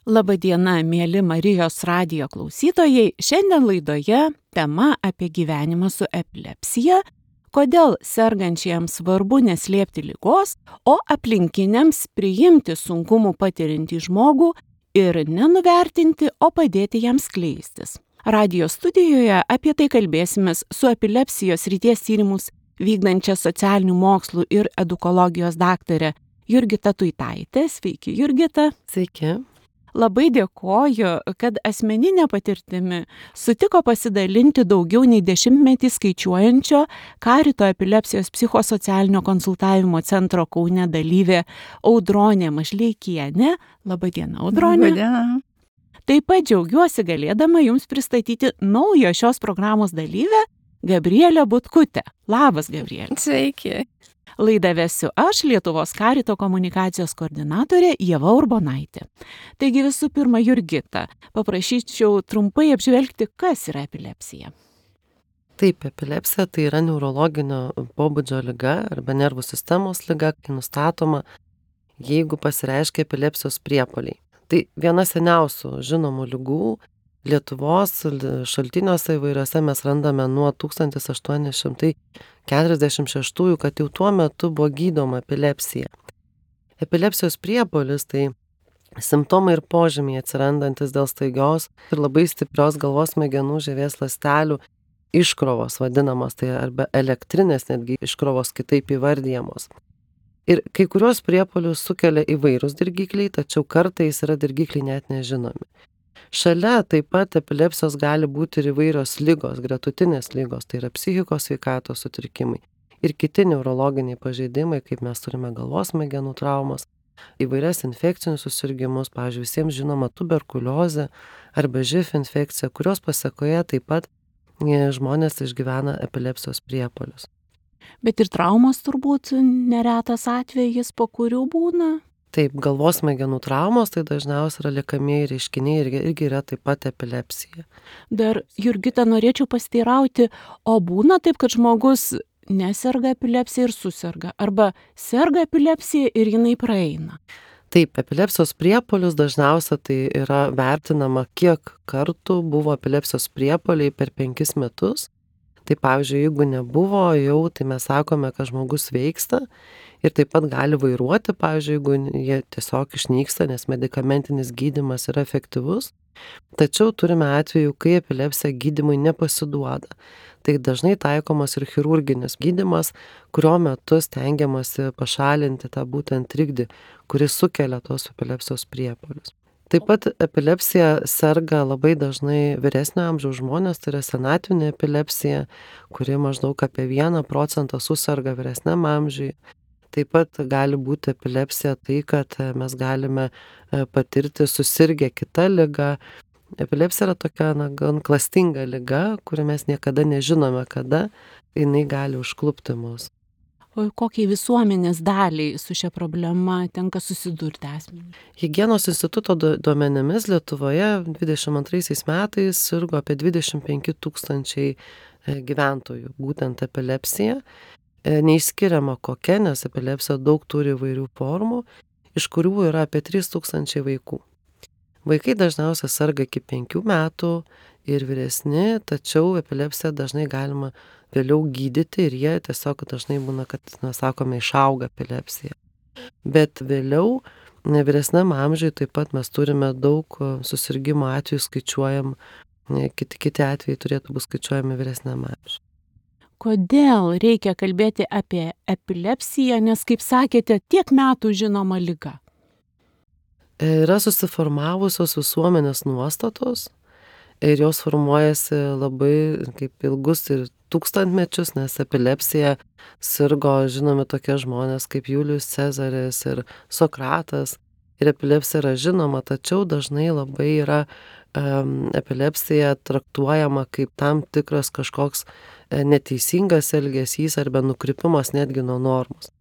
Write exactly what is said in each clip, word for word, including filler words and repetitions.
Labadiena, mėly Marijos radijo klausytojai. Šiandien laidoje tema apie gyvenimą su epilepsija, kodėl sergančiajams svarbu neslėpti ligos, o aplinkiniams priimti sunkumų patiriantį žmogų ir nenuvertinti, o padėti jam skleistis. Radijo studijoje apie tai kalbėsimės su epilepsijos srities tyrimus vykdančia socialinių mokslų ir edukologijos daktare Jurgita Tuitaitė. Sveiki, Jurgita. Sveiki. Labai dėkoju, kad asmeninė patirtimi sutiko pasidalinti daugiau nei dešimtmetį skaičiuojančio Karito epilepsijos psichosocialinio konsultavimo centro Kaune dalyvė Audronė Mažleikienė. Labadiena, Audronė. Labadiena. Taip pat džiaugiuosi galėdama Jums pristatyti naujo šios programos dalyvę Gabrielę Butkutę. Labas, Gabrielė. Sveiki. Laidą vesiu aš, Lietuvos Karito komunikacijos koordinatorė Ieva Urbonaitė. Taigi visų pirma, Jurgita, paprašyčiau trumpai apžvelgti, kas yra epilepsija. Taip, epilepsija tai yra neurologinio pobūdžio liga arba nervų sistemos liga, kai nustatoma, jeigu pasireiškia epilepsijos priepuoliai. Tai viena seniausių žinomų ligų. Lietuvos šaltiniuose įvairiuose mes randame nuo tūkstantis aštuoni šimtai keturiasdešimt šeštųjų, kad jau tuo metu buvo gydoma epilepsija. Epilepsijos priepuolis tai simptomai ir požymiai atsirandantis dėl staigios ir labai stiprios galvos smegenų žievės ląstelių iškrovos vadinamos, tai arba elektrinės netgi iškrovos kitaip įvardyjamos. Ir kai kurios priepuolius sukelia įvairūs dirgikliai, tačiau kartais yra dirgikliai net nežinomi. Šalia taip pat epilepsijos gali būti ir įvairios ligos, gretutinės ligos, tai yra psichikos sveikatos sutrikimai ir kiti neurologiniai pažeidimai, kaip mes turime galvos smegenų traumas, įvairias infekcinius susirgimus, pavyzdžiui, visiems žinoma tuberkuliozė arba živ infekcija, kurios pasekoje taip pat žmonės išgyvena epilepsijos priepuolius. Bet ir traumos turbūt neretas atvejis, po kurių būna? Taip, galvos smegenų traumos tai dažniausiai yra liekamieji reiškiniai ir irgi yra taip pat epilepsija. Dar, Jurgita, norėčiau pasiteirauti, o būna taip, kad žmogus neserga epilepsija ir suserga, arba serga epilepsija ir jinai praeina? Taip, epilepsijos priepuolius dažniausiai tai yra vertinama, kiek kartų buvo epilepsijos priepuoliai per penkis metus. Tai pavyzdžiui, jeigu nebuvo jau, tai mes sakome, kad žmogus sveiksta ir taip pat gali vairuoti, pavyzdžiui, jeigu jie tiesiog išnyksta, nes medikamentinis gydymas yra efektyvus. Tačiau turime atvejų, kai epilepsija gydymui nepasiduoda. Tai dažnai taikomas ir chirurginis gydymas, kurio metu stengiamasi pašalinti tą būtent trikdį, kuris sukelia tos epilepsijos priepuolius. Taip pat epilepsija serga labai dažnai vyresnio amžiaus žmonės, tai yra senatvinė epilepsija, kuri maždaug apie vieną procentą suserga vyresniam amžiui. Taip pat gali būti epilepsija tai, kad mes galime patirti susirgę kitą ligą. Epilepsija yra tokia na, gan klastinga liga, kuri mes niekada nežinome, kada jinai gali užklupti mus. O kokiai visuomenės daliai su šia problema tenka susidurti asmeniui? Higienos instituto duomenimis Lietuvoje dvidešimt antraisiais metais sirgo apie dvidešimt penki tūkstančiai gyventojų, būtent epilepsija. Neišskiriama kokia, nes epilepsija daug turi įvairių formų, iš kurių yra apie trys tūkstančiai vaikų. Vaikai dažniausiai serga iki penkių metų ir vyresni, tačiau epilepsiją dažnai galima vėliau gydyti ir jie tiesiog dažnai būna, kad, na, sakome, išauga epilepsija. Bet vėliau, vyresniam amžiui taip pat mes turime daug susirgimo atvejų, skaičiuojam, kiti, kiti atvejai turėtų būti skaičiuojami vyresniam amžiui. Kodėl reikia kalbėti apie epilepsiją, nes, kaip sakėte, tiek metų žinoma liga? Yra susiformavusios visuomenės nuostatos ir jos formuojasi labai kaip ilgus ir tūkstantmečius, nes epilepsija sirgo žinomi tokie žmonės kaip Julijus Cezaris ir Sokratas. Ir epilepsija yra žinoma, tačiau dažnai labai yra um, epilepsija traktuojama kaip tam tikras kažkoks neteisingas elgesys arba nukrypimas netgi nuo normos.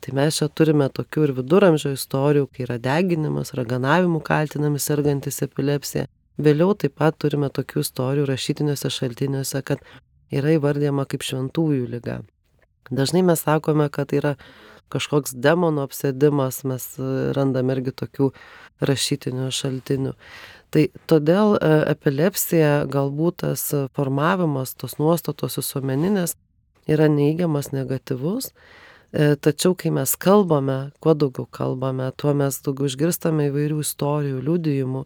Tai mes čia turime tokių ir viduramžio istorijų, kai yra deginimas, raganavimu kaltinami sergantis epilepsija. Vėliau taip pat turime tokių istorijų rašytiniuose šaltiniuose, kad yra įvardyjama kaip šventųjų liga. Dažnai mes sakome, kad tai yra kažkoks demono apsėdimas, mes randame irgi tokių rašytinių šaltinių. Tai todėl epilepsija, galbūt tas formavimas, tos nuostatos visuomeninės yra neigiamas, negatyvus, tačiau kai mes kalbame, kuo daugiau kalbame, tuo mes daugiau išgirstame įvairių istorijų, liudijimų,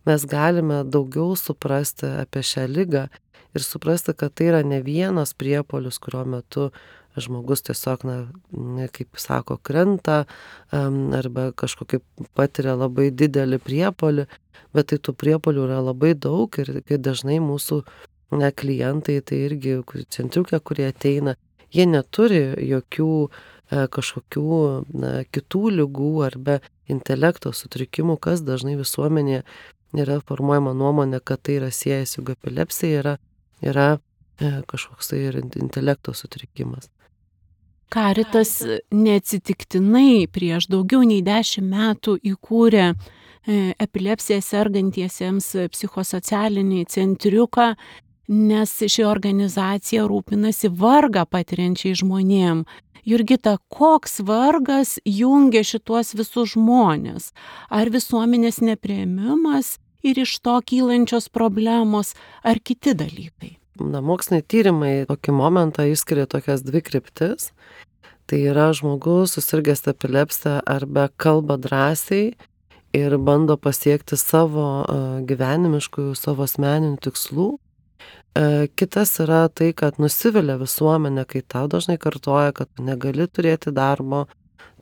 mes galime daugiau suprasti apie šią ligą ir suprasti, kad tai yra ne vienas priepuolis, kurio metu žmogus tiesiog, na, kaip sako, krenta arba kažkokį patiria labai didelį priepuolį, bet tai tų priepuolių yra labai daug ir dažnai mūsų na, klientai, tai irgi centriukė, kurie ateina, jie neturi jokių kažkokių na, kitų ligų arba intelekto sutrikimų, kas dažnai visuomenėje yra formuojama nuomonė, kad tai yra siejęs, juk epilepsija yra, yra kažkoks tai ir intelekto sutrikimas. Caritas neatsitiktinai prieš daugiau nei dešimt metų įkūrė epilepsiją sergantiesiems psichosocialinį centriuką, nes ši organizacija rūpinasi vargą patiriančiai žmonėm. Jurgita, koks vargas jungia šituos visus žmonės? Ar visuomenės nepriėmimas ir iš to kylančios problemos, ar kiti dalykai? Na, moksliniai tyrimai tokį momentą išskiria tokias dvi kryptis. Tai yra žmogus susirgęs epilepsiją arba kalba drąsiai ir bando pasiekti savo gyvenimiškų, savo asmeninių tikslų. Kitas yra tai, kad nusivilia visuomenė, kai tau dažnai kartoja, kad tu negali turėti darbo,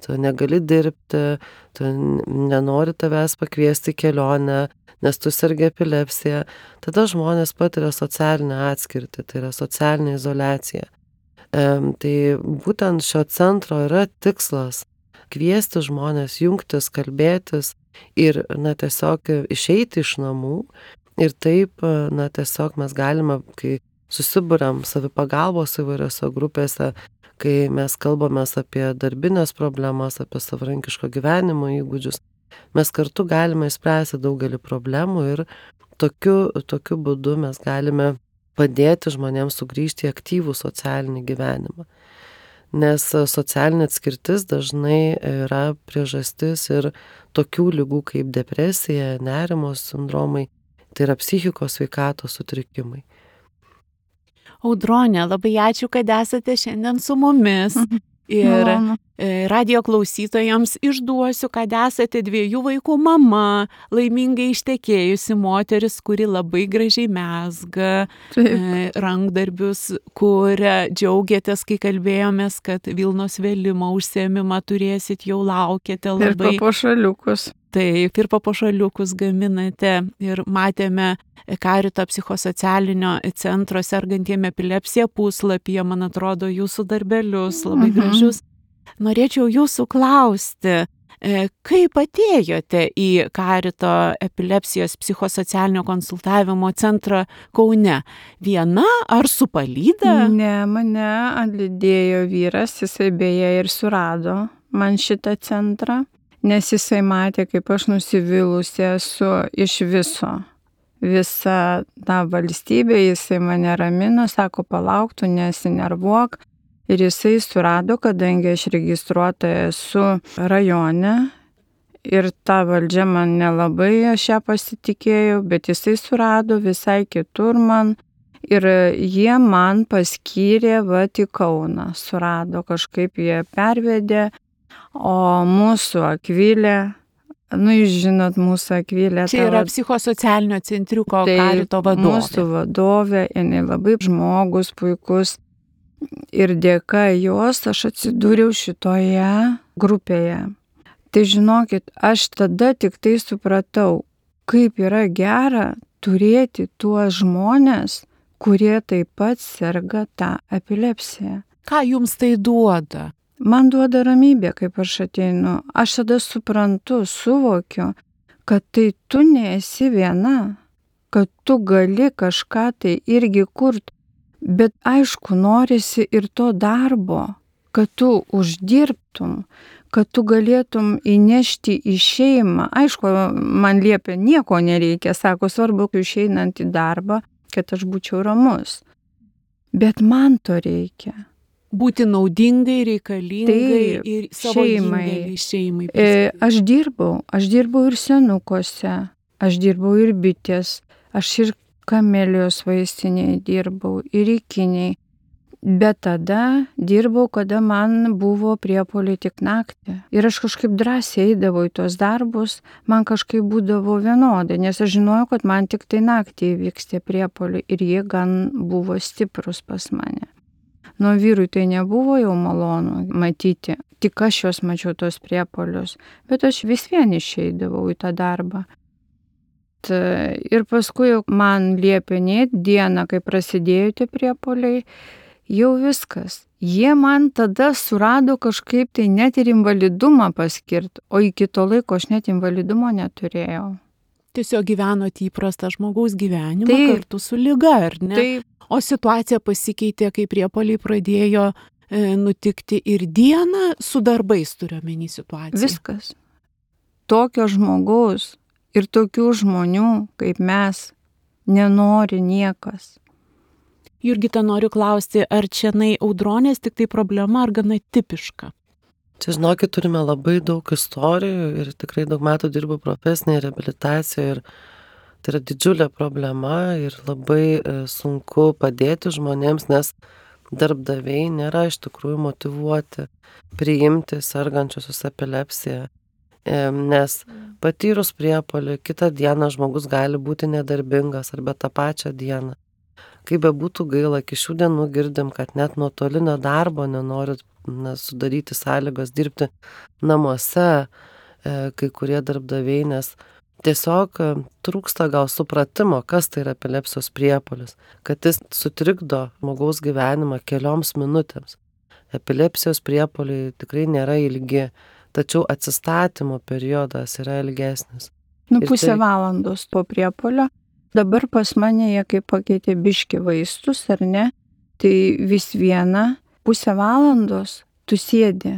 tu negali dirbti, tu nenori tavęs pakviesti į kelionę, nes tu sergi epilepsiją. Tada žmonės patiria socialinę atskirtį, tai yra socialinė izoliacija. E, tai būtent šio centro yra tikslas kviesti žmonės, jungtis, kalbėtis ir na, tiesiog išeiti iš namų. Ir taip, na, tiesiog mes galime, kai susiburiam savipagalbos įvairiose grupėse, kai mes kalbame apie darbinės problemas, apie savarankiško gyvenimo įgūdžius, mes kartu galime išspręsti daugelį problemų ir tokiu, tokiu būdu mes galime padėti žmonėms sugrįžti į aktyvų socialinį gyvenimą. Nes socialinė atskirtis dažnai yra priežastis ir tokių ligų kaip depresija, nerimo sindromai, tai yra psichikos sveikatos sutrikimai. Audronė, labai ačiū, kad esate šiandien su mumis. Ir radijo klausytojams išduosiu, kad esate dviejų vaikų mama, laimingai ištekėjusi moteris, kuri labai gražiai mezga Taip. rankdarbius, kuria džiaugiatės, kai kalbėjomės, kad Vilnos vėlimo užsiėmimą turėsit, jau laukiate labai. Ir papuošaliukus. Taip, ir papuošaliukus gaminate ir matėme Carito psichosocialinio centro sergantiem epilepsija puslapyje, man atrodo, jūsų darbelius labai mhm. gražius. Norėčiau jūsų klausti, kaip atėjote į Carito epilepsijos psichosocialinio konsultavimo centrą Kaune? Viena ar su palyda? Ne, mane atlydėjo vyras, jisai beje ir surado man šitą centrą, nes jisai matė, kaip aš nusivylusi esu iš viso. Visa ta valstybė, jisai mane ramino, sako, palauk, tu nesinervuok. Ir jisai surado, kadangi aš registruota esu rajone ir ta valdžia man nelabai, aš ją pasitikėjau, bet jisai surado visai kitur man ir jie man paskyrė vat į Kauną. Surado, kažkaip jie pervedė, o mūsų Akvilė, nu, jūs žinot, mūsų Akvilė. Čia yra psichosocialinio centriuko Carito vadovė. Mūsų vadovė, jinai labai žmogus, puikus. Ir dėka jos aš atsidūriau šitoje grupėje. Tai žinokit, aš tada tik tai supratau, kaip yra gera turėti tuos žmonės, kurie taip pat serga tą epilepsiją. Ką jums tai duoda? Man duoda ramybė, kaip aš ateinu. Aš tada suprantu, suvokiu, kad tai tu nesi viena, kad tu gali kažką tai irgi kurti. Bet aišku, norisi ir to darbo, kad tu uždirbtum, kad tu galėtum įnešti į šeimą. Aišku, man liepia, nieko nereikia, sako, svarbu, išeinant į darbą, kad aš būčiau ramus. Bet man to reikia. Būti naudingai, reikalingai Taip, ir savo šeimai. indėlį šeimai. E, prisidėti. aš dirbau, aš dirbau ir senukose, aš dirbau ir bitės, aš ir kamelijos vaistinėje dirbau, ir ikiniai. Bet tada dirbau, kada man buvo priepuoliai tik naktį. Ir aš kažkaip drąsiai eidavau į tuos darbus, man kažkaip būdavo vienodai, nes aš žinojau, kad man tik tai naktį įvyks tie priepuoliai ir jie gan buvo stiprus pas mane. Nuo vyrui tai nebuvo jau malonu matyti, tik aš juos mačiau tos priepuolius, bet aš vis vien išeidavau į tą darbą. Ir paskui man liepė net dieną, kai prasidėjo tie priepuoliai, jau viskas. Jie man tada surado kažkaip tai net ir invalidumą paskirti, o iki to laiko aš net invalidumo neturėjau. Tiesiog gyvenot įprastą žmogaus gyvenimą Taip. kartu su liga, ar ne? Taip. O situacija pasikeitė, kai priepuoliai pradėjo e, nutikti ir dieną su darbais, turiuomenį situaciją. Viskas. Tokio žmogaus ir tokių žmonių, kaip mes, nenori niekas. Jurgita, noriu klausti, ar čia nai audronės tik tai problema, ar gana tipiška? Čia, žinokit, turime labai daug istorijų ir tikrai daug metų dirbu profesinėje reabilitacijoje ir tai yra didžiulė problema ir labai sunku padėti žmonėms, nes darbdaviai nėra iš tikrųjų motyvuoti priimti sergančiusius epilepsiją, nes patyrus priepuolį kitą dieną žmogus gali būti nedarbingas arba tą pačią dieną. Kaip be būtų gaila, iki šių dienų girdim, kad net nuotolinio darbo nenori na, sudaryti sąlygos dirbti namuose kai kurie darbdaviai, nes tiesiog trūksta gal supratimo, kas tai yra epilepsijos priepuolis, kad jis sutrikdo žmogaus gyvenimą kelioms minutėms. Epilepsijos priepuoliai tikrai nėra ilgi, tačiau atsistatymo periodas yra ilgesnis. Nu, Ir pusę tai- valandos po priepuolio. Dabar pas mane jie kaip pakeitė biški vaistus, ar ne, tai vis viena pusę valandos tu sėdi.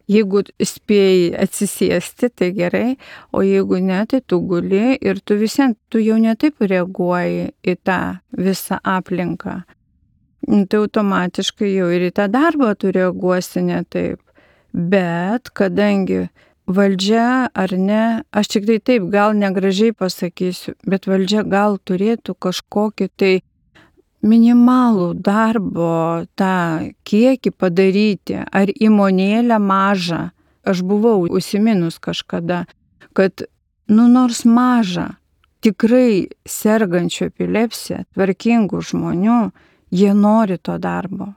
Jeigu spėjai atsisėsti, tai gerai, o jeigu ne, tai tu guli ir tu visien, tu jau netaip reaguoji į tą visą aplinką. Tai automatiškai jau ir į tą darbą tu reaguosi ne taip. Bet kadangi valdžia ar ne, aš tik tai taip gal negražiai pasakysiu, bet valdžia gal turėtų kažkokį tai minimalų darbo tą kiekį padaryti, ar įmonėlę mažą. Aš buvau užsiminus kažkada, kad nu nors mažą, tikrai sergančių epilepsiją, tvarkingų žmonių, jie nori to darbo.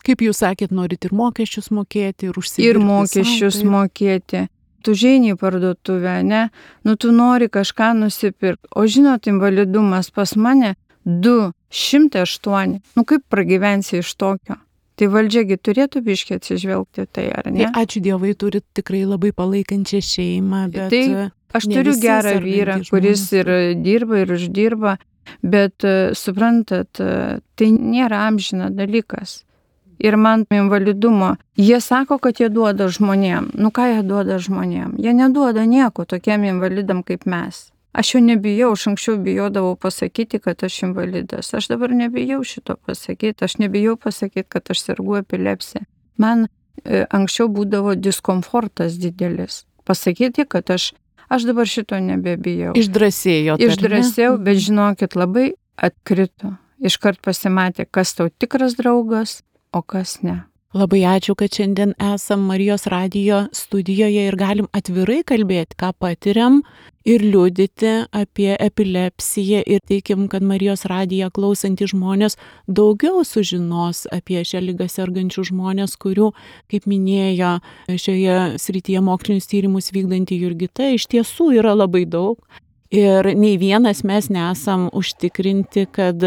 Kaip jūs sakėt, norit ir mokesčius mokėti, ir užsidirbti. Ir mokesčius sau, mokėti. Tu žeini į parduotuvę, ne? Nu tu nori kažką nusipirkti. O žinot, invalidumas pas mane du šimtai aštuoni. Nu kaip pragyvensi iš tokio? Tai valdžiagi turėtų biškiai atsižvelgti tai, ar ne? Tai ačiū Dievui, turit tikrai labai palaikančią šeimą, bet... Tai aš ne turiu visi gerą sergantys vyrą, žmonės kuris ir turi. dirba, ir uždirba, bet e, suprantat, e, tai nėra amžina dalykas. Ir man invalidumo, jie sako, kad jie duoda žmonėm. Nu ką jie duoda žmonėm? Jie neduoda nieko tokiem invalidam kaip mes. Aš jau nebijau, aš anksčiau bijodavau pasakyti, kad aš invalidas. Aš dabar nebijau šito pasakyti, aš nebijau pasakyti, kad aš sergu epilepsiją. Man e, anksčiau būdavo diskomfortas didelis. Pasakyti, kad aš, aš dabar šito nebebijau. Išdrasėjo. Išdrasėjau, bet žinokit, labai atkrito. Iškart pasimatė, kas tau tikras draugas, o kas ne. Labai ačiū, kad šiandien esam Marijos radijo studijoje ir galim atvirai kalbėti, ką patiriam ir liudyti apie epilepsiją ir teikim, kad Marijos radiją klausantys žmonės daugiau sužinos apie šią ligą sergančių žmonės, kurių, kaip minėjo šioje srityje mokslinius tyrimus vykdanti Jurgita, iš tiesų yra labai daug. Ir nei vienas mes nesam užtikrinti, kad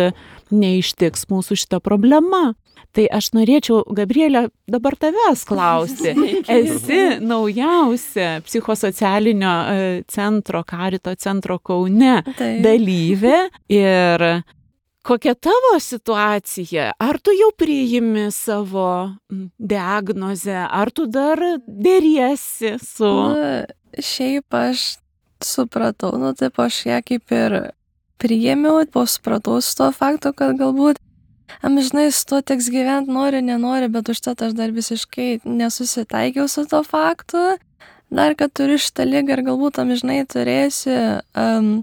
neištiks mūsų šita problema. Tai aš norėčiau, Gabrielė, dabar tavęs klausti. Esi naujausia psichosocialinio centro, Karito centro Kaune Taip. dalyvė. Ir kokia tavo situacija? Ar tu jau priimi savo diagnozę? Ar tu dar dėriesi su... Nu, šiaip aš supratau, nu taip aš ją kaip ir priėmiau, po supratau su to faktu, kad galbūt amžinai su tuo teks gyventi, nori, nenori, bet užtat aš dar visiškai nesusitaikiau su to faktu. Dar, kad turiu šitą ligą ir galbūt amžinai turėsiu, um,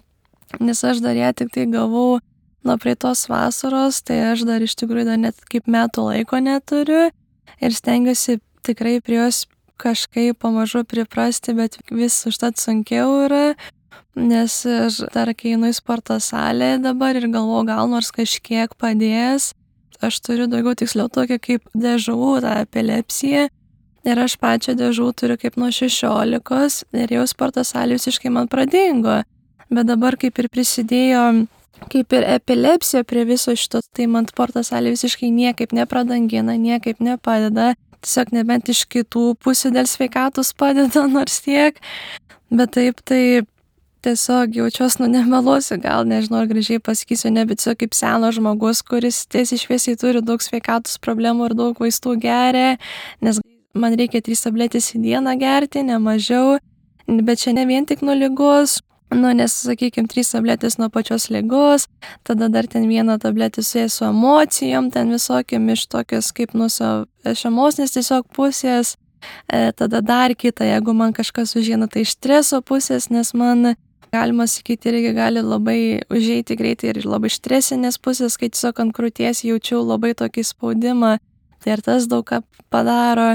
nes aš dar ją tik tai gavau nuo praeitos vasaros, tai aš dar iš tikrųjų dar net kaip metų laiko neturiu ir stengiuosi tikrai prie jos kažkaip pamažu priprasti, bet vis užtat sunkiau yra, nes aš dar kai einu į sporto salę dabar ir galvoju, gal nors kažkiek padės, aš turiu daugiau tiksliau tokią kaip dežavų tą epilepsiją. Ir aš pačią dėžų turiu kaip nuo šešiolikos ir jau sporto salė visiškai man pradingo. Bet dabar kaip ir prisidėjo, kaip ir epilepsija prie viso šito, tai man sporto salė visiškai niekaip nepradangina, niekaip nepadeda. Tiesiog nebent iš kitų pusių dėl sveikatos padeda nors tiek. Bet taip tai tiesiog jaučiuos, nu nemeluosiu, gal nežinau, ar gražiai pasakysiu, ne, bet tiesiog kaip senas žmogus, kuris tiesiai šviesiai turi daug sveikatos problemų ir daug vaistų geria, nes man reikia trys tabletės į dieną gerti, ne mažiau, bet čia ne vien tik nuo ligos, nu, nes, sakykime, trys tabletės nuo pačios ligos, tada dar ten vieną tabletę su, su emocijom, ten visokiam iš tokios kaip nuo iš emocinės tiesiog pusės, e, tada dar kitą, jeigu man kažkas užėna, tai iš streso pusės, nes man, galima sakyti, irgi gali labai užeiti greitai ir labai iš stresinės pusės, kai tiesiog ant krūties jaučiau labai tokį spaudimą, tai ir tas daug ką padaro.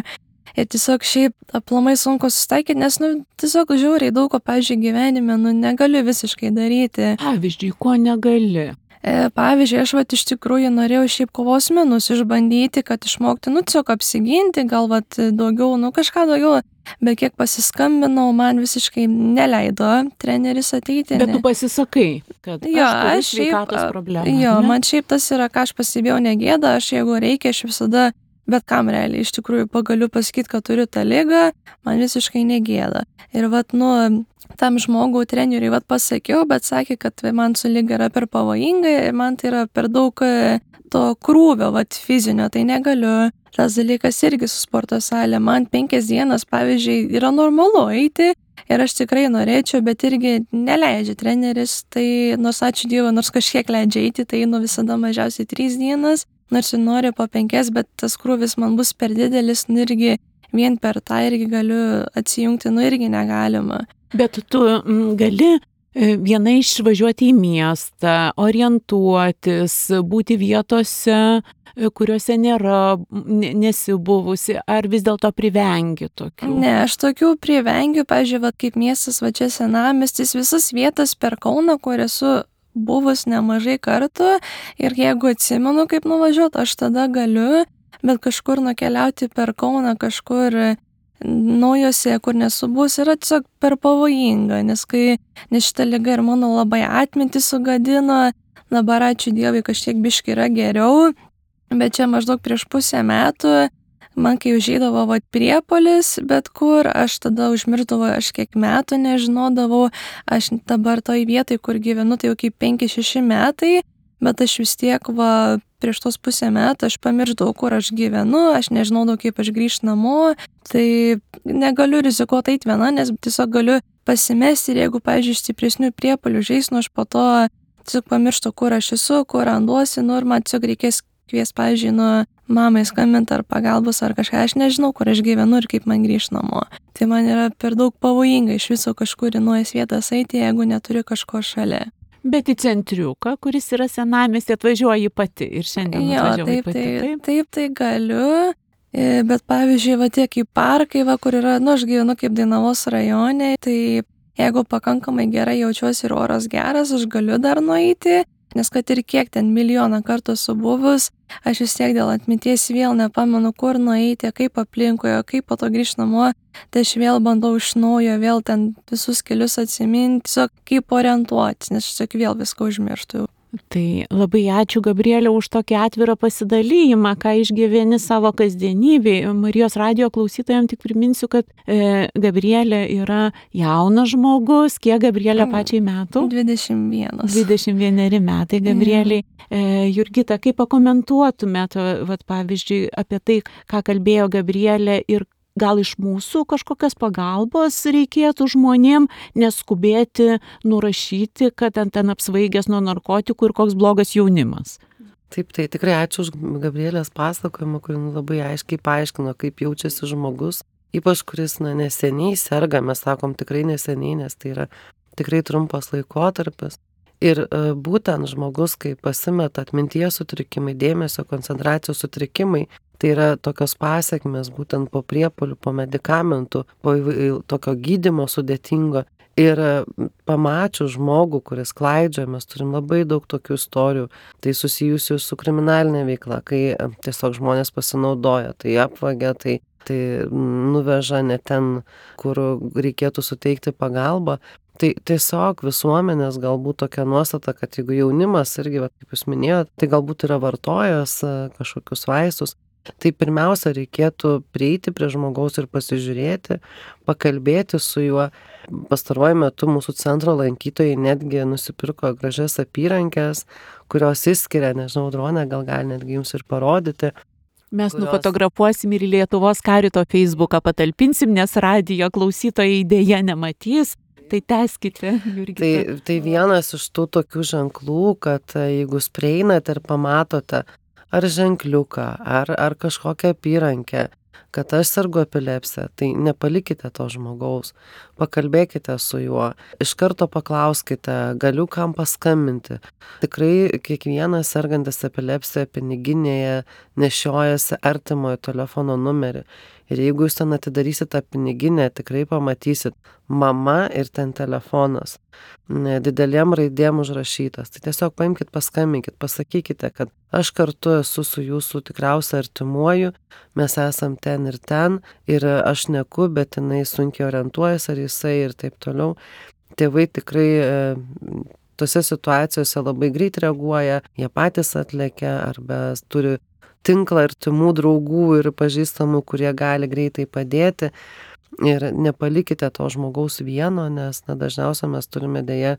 Ir tiesiog šiaip aplamai sunku susitaikyti, nes, nu, tiesiog žiauriai daug ko, pavyzdžiui, gyvenime, nu, negaliu visiškai daryti. Pavyzdžiui, ko negali? E, pavyzdžiui, aš, vat, iš tikrųjų norėjau šiaip kovos menus išbandyti, kad išmokti, nu, tiesiog apsiginti, gal, vat, daugiau, nu, kažką daugiau, bet kiek pasiskambinau, man visiškai neleido treneris ateiti. Bet ne. tu pasisakai, kad jo, aš turiu aš sveikatos šiaip, problemą. jo, ne? man šiaip tas yra, ką aš pasibėjau, negėda, aš jeigu reikia, aš visada bet kam realiai iš tikrųjų pagaliu pasakyti, kad turiu tą ligą, man visiškai negėda. Ir vat, nu, tam žmogui, treneriui, vat pasakiau, bet sakė, kad man su liga yra per pavojinga ir man tai yra per daug to krūvio, vat fizinio, tai negaliu. Tas dalykas irgi su sporto salė. Man penkias dienas, pavyzdžiui, yra normalu eiti ir aš tikrai norėčiau, bet irgi neleidžia treneris, tai nors ačiū Dievui, nors kažkiek leidžia eiti, tai einu visada mažiausiai trys dienas. Nors ir noriu po penkias, bet tas krūvis man bus per didelis, nu irgi vien per tą irgi galiu atsijungti, nu irgi negalima. Bet tu m, gali viena išvažiuoti į miestą, orientuotis, būti vietose, kuriuose nėra, nesibuvusi, ar vis dėlto privengi tokių? Ne, aš tokių privengiu, pavyzdžiui, va, kaip miestas, va čia senamiestis, visas vietas per Kauną, kur esu buvus nemažai kartų ir jeigu atsimenu, kaip nuvažiuoti, aš tada galiu, bet kažkur nukeliauti per Kauną, kažkur naujose, kur nesu buvus, yra tiesiog per pavojinga, nes kai nes šita liga ir mano labai atmintį sugadino, dabar ačiū Dievui kažkiek biški yra geriau, bet čia maždaug prieš pusę metų man kai užeidavo vat priepuolis, bet kur, aš tada užmirdavau, aš kiek metų nežinodavau, aš dabar toj vietoj, kur gyvenu, tai jau kaip penki šeši metai, bet aš vis tiek, va, prieš tos pusę metų aš pamirždavau, kur aš gyvenu, aš nežinodavau, kaip aš grįžt namo, tai negaliu rizikuoti eit viena, nes tiesiog galiu pasimesti ir jeigu, pavyzdžiui, stipresnių priepuolių žeis, nu aš po to tiesiog pamirštu, kur aš esu, kur randuosi, nu ir man tiesiog reikės kvies, pavyzdžiui, nu mamai skambinti ar pagalbos ar kažką, aš nežinau, kur aš gyvenu ir kaip man grįžt namo. Tai man yra per daug pavojinga iš viso kažkur į naujas vietas eiti, jeigu neturiu kažko šalia. Bet į centriuką, kuris yra senamiestį, atvažiuoji pati ir šiandien jo, atvažiuoji taip, pati. taip, Taip, taip, tai galiu, bet pavyzdžiui, va tiek į parkai, va, kur yra, nu aš gyvenu kaip Dainavos rajone, tai jeigu pakankamai gerai jaučiuosi ir oras geras, aš galiu dar nueiti, nes kad ir kiek ten milijoną kartų esu buvus, aš vis tiek dėl atminties vėl nepamenu, kur nueiti, kaip aplinkoje, kaip po to grįžt namo, tai aš vėl bandau iš naujo, vėl ten visus kelius atsiminti, tiesiog kaip orientuotis, nes aš tiesiog vėl viską užmirštu. Tai labai ačiū, Gabrielė, už tokį atvirą pasidalijimą, ką išgyveni savo kasdienybėje. Marijos radijo klausytojams tik priminsiu, kad e, Gabrielė yra jaunas žmogus. Kiek Gabrielė pačiai metų? dvidešimt vienas. dvidešimt vieneri metai, Gabrielė. E, Jurgita, kaip pakomentuotumėt, vat, pavyzdžiui, apie tai, ką kalbėjo Gabrielė ir gal iš mūsų kažkokios pagalbos reikėtų žmonėm, neskubėti nurašyti, kad ten, ten apsvaigęs nuo narkotikų ir koks blogas jaunimas? Taip, tai tikrai ačiū už Gabrielės pasakojimą, kur labai aiškiai paaiškino, kaip jaučiasi žmogus, ypač kuris na, neseniai serga, mes sakom tikrai neseniai, nes tai yra tikrai trumpas laikotarpis. Ir uh, būtent žmogus, kai pasimeta atminties sutrikimai, dėmesio, koncentracijos sutrikimai, tai yra tokios pasiekmes būtent po priepuolių, po medikamentų, po tokio gydymo sudėtingo. Ir pamačius žmogų, kuris klaidžia, mes turim labai daug tokių istorijų, tai susijusių su kriminalinė veikla, kai tiesiog žmonės pasinaudoja, tai apvagia, tai, tai nuveža ne ten, kur reikėtų suteikti pagalbą. Tai tiesiog visuomenės galbūt tokia nuostata, kad jeigu jaunimas irgi, va, kaip jūs minėjote, tai galbūt yra vartojęs kažkokius vaistus, tai pirmiausia reikėtų prieiti prie žmogaus ir pasižiūrėti, pakalbėti su juo. Pastaruoju metu mūsų centro lankytojai netgi nusipirko gražias apyrankės, kurios išskiria, nežinau, Dronė, gal gali netgi jums ir parodyti. Mes kurios... nufotografuosim ir Lietuvos Karito Facebooką patalpinsim, nes radijo klausytojai dėja nematys. Tai tęskite, Jurgita. Tai, tai vienas iš tų tokių ženklų, kad jeigu jūs prieinate ir pamatote ar ženkliuką, ar, ar kažkokią apyrankę, kad aš sergu epilepsija, tai nepalikite to žmogaus, pakalbėkite su juo, iš karto paklauskite, galiu kam paskambinti. Tikrai kiekvienas sergantis epilepsija piniginėje nešiojasi artimojo telefono numerį. Ir jeigu jūs ten atidarysit tą piniginę, tikrai pamatysit mama ir ten telefonas, didelėm raidėm užrašytas. Tai tiesiog paimkite, paskambinkite, pasakykite, kad aš kartu esu su jūsų tikriausia artimuoju, mes esam ten ir ten, ir aš neku, bet jinai sunkiai orientuojasi, ar jisai ir taip toliau. Tėvai tikrai e, tose situacijose labai greit reaguoja, jie patys atlekia arba turi tinklą artimų draugų ir pažįstamų, kurie gali greitai padėti. Ir nepalikite to žmogaus vieno, nes na, dažniausiai mes turime dėja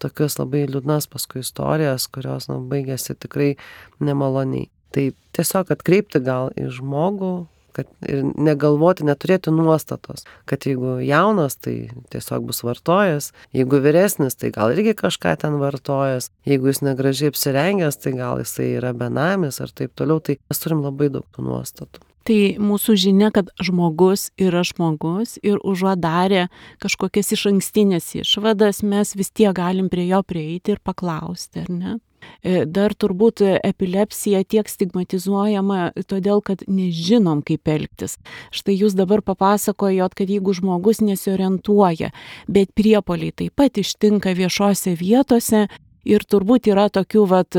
tokius labai liūdnas paskui istorijas, kurios na, baigėsi tikrai nemaloniai. Tai tiesiog atkreipti gal į žmogų, kad ir negalvoti, neturėti nuostatos, kad jeigu jaunas, tai tiesiog bus vartojas, jeigu vyresnis, tai gal irgi kažką ten vartojas, jeigu jis negražiai apsirengęs, tai gal jisai yra benamis ar taip toliau, tai mes turim labai daug tų nuostatų. Tai mūsų žinia, kad žmogus yra žmogus ir užuot darę kažkokias išankstinės išvadas, mes vis tiek galim prie jo prieiti ir paklausti, ar ne? Dar turbūt epilepsija tiek stigmatizuojama todėl, kad nežinom, kaip elgtis. Štai jūs dabar papasakojot, kad jeigu žmogus nesiorientuoja, bet priepuoliai taip pat ištinka viešose vietose ir turbūt yra tokių vat,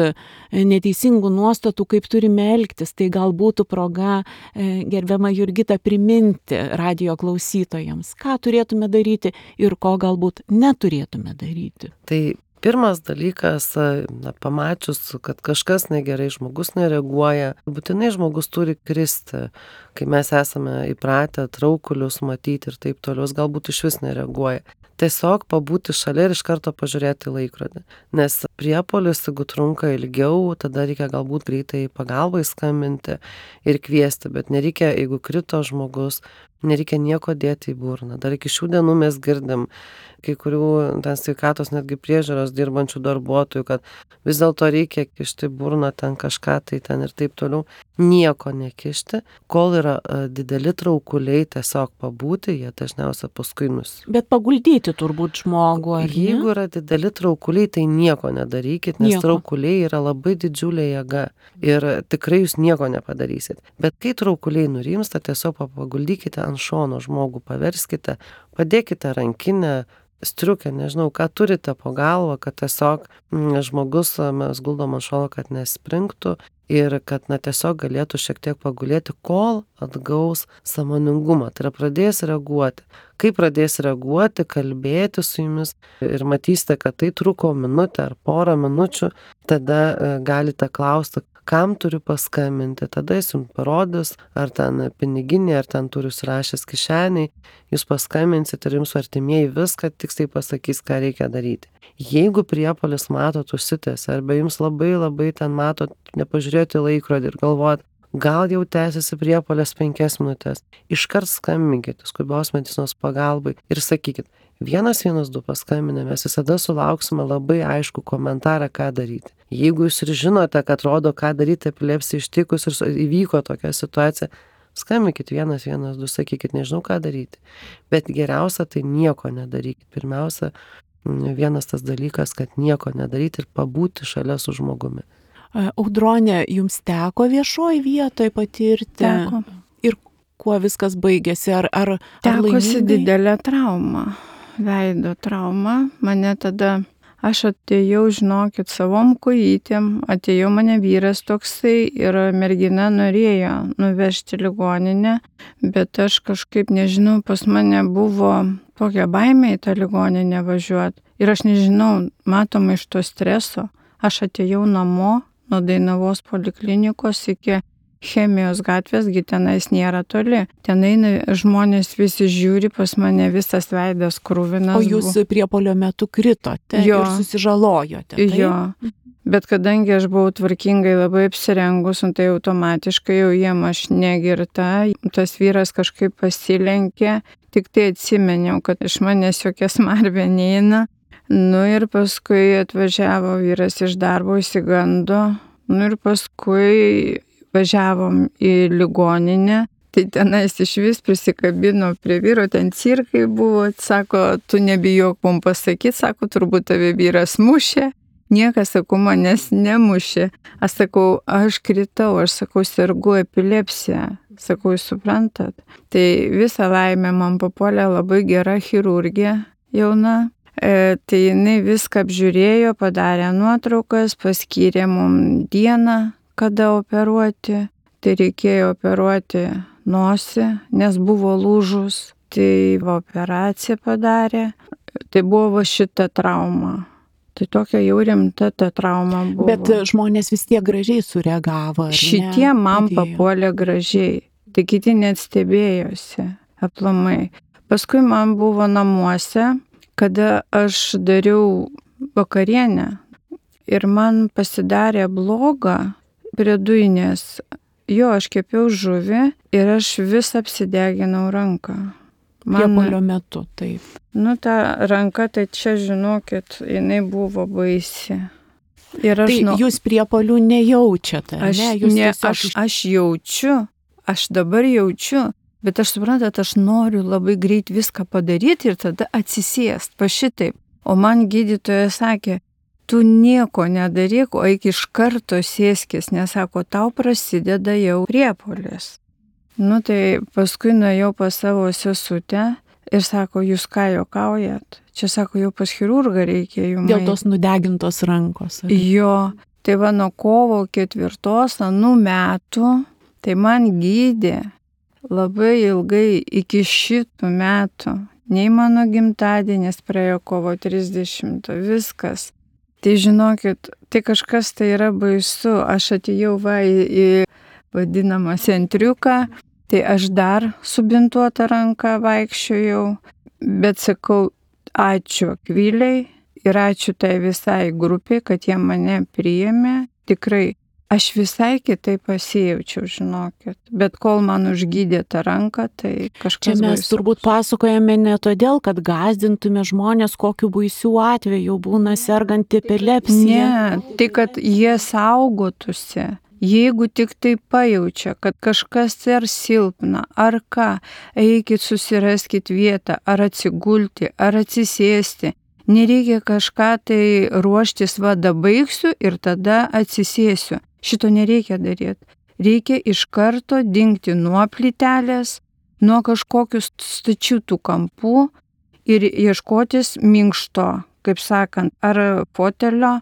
neteisingų nuostatų, kaip turime elgtis, tai gal būtų proga, gerbiama Jurgita, priminti radijo klausytojams, ką turėtume daryti ir ko galbūt neturėtume daryti. Tai pirmas dalykas, na, pamačius, kad kažkas negerai, žmogus nereaguoja, būtinai žmogus turi kristi, kai mes esame įpratę traukulius matyti ir taip toliau, galbūt iš vis nereaguoja. Tiesiog pabūti šalia ir iš karto pažiūrėti į laikrodį. Nes priepuolis, jeigu trunka ilgiau, tada reikia galbūt greitai pagalbai skambinti ir kviesti, bet nereikia, jeigu krito žmogus, nereikia nieko dėti į burną. Dar iki šių dienų mes girdim kai kurių ten sveikatos netgi priežiūros dirbančių darbuotojų, kad vis dėlto reikia kišti burną ten kažką, tai ten ir taip toliau. Nieko nekišti, kol yra dideli traukuliai, tiesiog pabūti, jie dažniausiai paskui nus. Bet paguldyti turbūt žmogų, ar ne? Jeigu yra dideli traukuliai, tai nieko nedarykit, nes nieko. Traukuliai yra labai didžiulė jėga ir tikrai jūs nieko nepadarysit. Bet kai traukuliai nurimsta, tiesiog paguldykite ant šono žmogų, paverskite, padėkite rankinę, striukę, nežinau, ką turite po galvą, kad tiesiog m, žmogus mes guldom ant šono, kad nespringtų ir kad na, tiesiog galėtų šiek tiek pagulėti, kol atgaus sąmoningumą. Tai yra pradės reaguoti. Kai pradės reaguoti, kalbėti su jumis ir matysite, kad tai truko minutę ar porą minučių, tada e, galite klausti, kam turiu paskambinti, tada jis jums parodys, ar ten piniginė, ar ten turiu surašęs kišeniai, jūs paskambinsit ir jums artimieji viską tiksliai pasakys, ką reikia daryti. Jeigu priepuolis matot užsitęs, arba jums labai labai ten matot, nepažiūrėti laikrodį ir galvojat, gal jau tęsiasi priepuolis penkias minutės, iškart skambinkite skubios medicinos pagalbai ir sakykit, vienas vienas du paskambinę, mes visada sulauksime labai aišku komentarą, ką daryti. Jeigu jūs ir žinote, kad rodo, ką daryti epilepsija ištikus ir įvyko tokia situacija, skambinkit vienas vienas du, sakykit, nežinau, ką daryti. Bet geriausia tai nieko nedarykit. Pirmiausia, vienas tas dalykas, kad nieko nedaryti ir pabūti šalia su žmogumi. Audronė, jums teko viešoj vietoj patirti? Teko. Ir kuo viskas baigėsi? Ar, ar, ar Tekosi laimingai? didelė trauma, veido trauma. Mane tada, aš atėjau, žinokit, savom kojytėm, atėjau mane vyras toksai ir mergina norėjo nuvežti ligoninę, bet aš kažkaip, nežinau, pas mane buvo tokia baimė į tą ligoninę važiuoti. Ir aš nežinau, matoma iš to streso, aš atėjau namo nuo Dainavos poliklinikos iki Chemijos gatvės, gi tenais nėra toli. Tenai žmonės visi žiūri, pas mane visas veidas krūvinas. O jūs priepuolio metu kritote Jo. ir susižalojote, taip? Jo. Bet kadangi aš buvau tvarkingai labai apsirengus, tai automatiškai jau jiem aš negirta, tas vyras kažkaip pasilenkė, tik tai atsimeniau, kad iš manęs jokia smarvė neina. Nu ir paskui atvažiavo vyras iš darbo, įsigando. Nu ir paskui važiavom į ligoninę, tai tenais iš vis prisikabino prie vyro, ten cirkai buvo, sako, tu nebijok mums pasakyti, sako, turbūt tave vyras mušė. Niekas, sakau, manęs nemušė. Aš sakau, aš kritau, aš sakau, sergu epilepsiją. Sakau, jūs suprantat. Tai visą laimę man papuolė labai gera chirurgija jauna. E, tai jinai viską apžiūrėjo, padarė nuotraukas, paskyrė mums dieną, kada operuoti. Tai reikėjo operuoti nosį, nes buvo lūžus. Tai operaciją padarė. Tai buvo šita trauma. Tai tokia jau rimta ta trauma buvo. Bet žmonės vis tiek gražiai sureagavo. ar ne? Šitie man Padėjo. papuolė gražiai. Tai kiti net stebėjosi aplamai. Paskui man buvo namuose, kada aš dariau vakarienę ir man pasidarė bloga prie dujinės. Jo, aš kepiau žuvį ir aš vis apsideginau ranką. Priepuolio metu, taip. Nu, ta ranka, tai čia, žinokit, jinai buvo baisi. Ir aš, Tai nu, jūs priepuolių nejaučiate, aš, ne? Jūs ne, tiesiog aš, aš jaučiu, aš dabar jaučiu, bet aš suprantat, aš noriu labai greit viską padaryti ir tada atsisėst, pa šitaip. O man gydytoja sakė, tu nieko nedaryk, o eik iš karto sėskis, nes sako, tau prasideda jau priepuolis. Nu tai paskui nuėjau pas savo sesutę ir sako, jūs ką juokaujat? Čia sako, jau pas chirurgą reikia jums. dėl tos nudegintos rankos. ar ne? Jo, tai va nuo kovo ketvirtos anų metų, tai man gydė labai ilgai iki šitų metų. Nei mano gimtadienis praėjo kovo trisdešimtą, viskas. Tai žinokit, tai kažkas tai yra baisu. Aš atėjau va į, į vadinamą centriuką, tai aš dar subintuotą ranką vaikščiojau, bet sakau, ačiū Akvilei ir ačiū tai visai grupiai, kad jie mane priėmė. Tikrai, aš visai kitaip pasijaučiau, žinokit. Bet kol man užgydė tą ranką, tai kažkas Čia mes baisaus. turbūt pasakojame ne todėl, kad gąsdintume žmonės, kokiu baisių atveju būna serganti epilepsija. Ne, tai kad jie saugotųsi. Jeigu tik tai pajaučia, kad kažkas ar silpna, ar ką, eikit susiraskit vietą, ar atsigulti, ar atsisėsti. Nereikia kažką tai ruoštis, va, dabaigsiu ir tada atsisėsiu. Šito nereikia daryti. Reikia iš karto dingti nuo plytelės, nuo kažkokių stačių tų kampų ir ieškotis minkšto, kaip sakant, ar fotelio,